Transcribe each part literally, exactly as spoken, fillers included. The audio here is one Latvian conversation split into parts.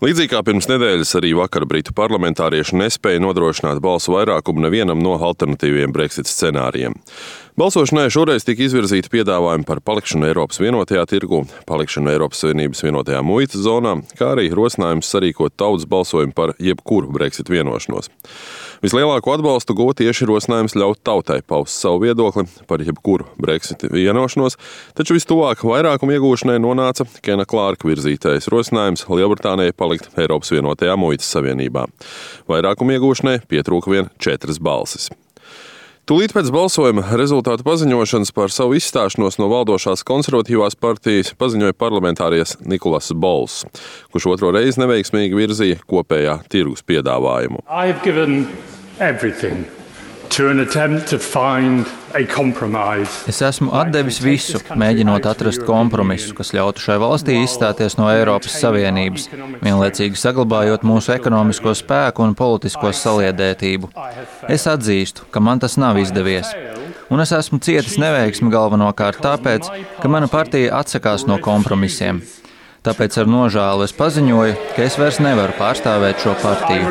Līdzīgi kā pirms nedēļas, arī vakar britu parlamentārieši nespēja nodrošināt balsu vairākumu nevienam no alternatīviem Brexit scenārijiem. Balsošanai šoreiz tika izvirzīti piedāvājumi par palikšanu Eiropas vienotajā tirgū, palikšanu Eiropas Savienības vienotajā muitas zonā, kā arī rosinājums sarīkot tautas balsojumu par jebkuru Brexit vienošanos. Vislielāko atbalstu guva tieši rosinājums ļaut tautai paust savu viedokli par jebkuru Brexit vienošanos, taču vistuvāk vairākumu iegūšanai nonāca Kena Klārka virzītais rosinājums Lielbritānijai palikt Eiropas vienotajā muitas savienībā. Vairākumu iegūšanai pietrūka vien četras balsis. Tūlīt pēc balsojuma rezultātu paziņošanas par savu izstāšanos no valdošās konservatīvās partijas paziņoja parlamentārietis Nikolas Bols, kurš otro reizi neveiksmīgi virzīja kopējā tirgus piedāvājumu. Es esmu atdevis visu, mēģinot atrast kompromisu, kas ļautu šai valstī izstāties no Eiropas Savienības, vienlaicīgi saglabājot mūsu ekonomisko spēku un politisko saliedētību. Es atzīstu, ka man tas nav izdevies. Un es esmu cietis neveiksmi galvenokārt tāpēc, ka mana partija atsakās no kompromisiem. Tāpēc ar nožēlu es paziņoju, ka es vairs nevaru pārstāvēt šo partiju.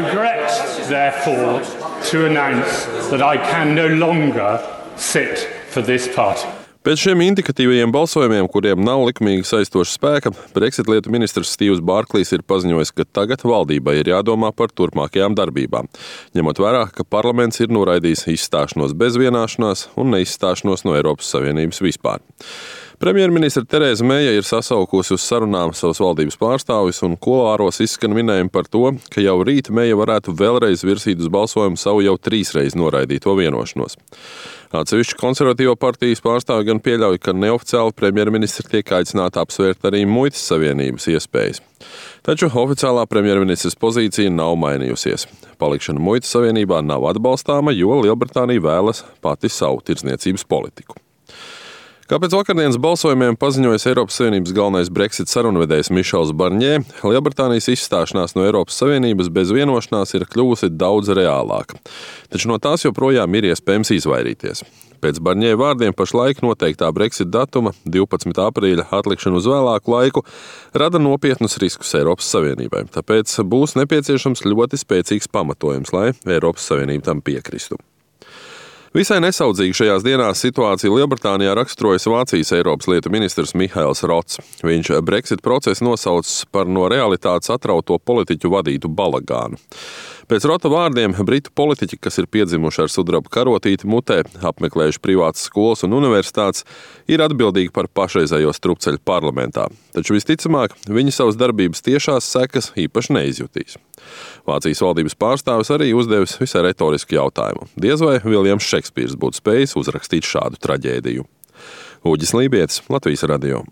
Pēc šiem indikatīvajiem balsojumiem, kuriem nav likumīgi saistoša spēka, Brexit lietu ministrs Stīvs Bārklīs ir paziņojis, ka tagad valdībai ir jādomā par turpmākajām darbībām, ņemot vērā, ka parlaments ir noraidījis izstāšanos bez vienāšanās un neizstāšanos no Eiropas Savienības vispār. Premjerministre Tereza Meija ir sasaukusi uz sarunām savas valdības pārstāvis un kuloāros izskan minējumi par to, ka jau rīt Meija varētu vēlreiz virsīt uz balsojumu savu jau trīsreiz noraidīto vienošanos. Atsevišķi konservatīvo partijas pārstāvi gan pieļauj, ka neoficiāli premjerministri tiek aicināti apsvērt arī muitas savienības iespējas. Taču oficiālā premjerministres pozīcija nav mainījusies. Palikšana muitas savienībā nav atbalstāma, jo Lielbritānija vēlas pati savu tirdzniecības politiku. Kā pēc vakardienas balsojumiem paziņojas Eiropas Savienības galvenais Brexit sarunvedējs Mišels Barņē, Lielbritānijas izstāšanās no Eiropas Savienības bez vienošanās ir kļuvusi daudz reālāka. Taču no tās joprojām ir iespējams izvairīties. Pēc Barņē vārdiem pašlaik noteiktā Brexit datuma divpadsmitā aprīļa atlikšana uz vēlāku laiku rada nopietnus riskus Eiropas Savienībai, tāpēc būs nepieciešams ļoti spēcīgs pamatojums, lai Eiropas Savienība tam piekristu. Visai nesaudzīgi šajās dienās situāciju Lielbritānijā raksturojas Vācijas Eiropas lietu ministrs Mihails Rots. Viņš Brexit procesu nosaucis par no realitātes atrauto politiķu vadītu balagānu. Pēc Rota vārdiem, britu politiķi, kas ir piedzimuši ar sudraba karotīti mutē, apmeklējuši privātas skolas un universitātes, ir atbildīgi par pašreizējo strupceļu parlamentā. Taču visticamāk, viņi savas darbības tiešās sekas īpaši neizjutīs. Vācijas valdības pārstāvis arī uzdevis visai retorisku jautājumu. Diez vai Viljams Šekspīrs būtu spējis uzrakstīt šādu traģēdiju. Uģis Lībietis, Latvijas radio.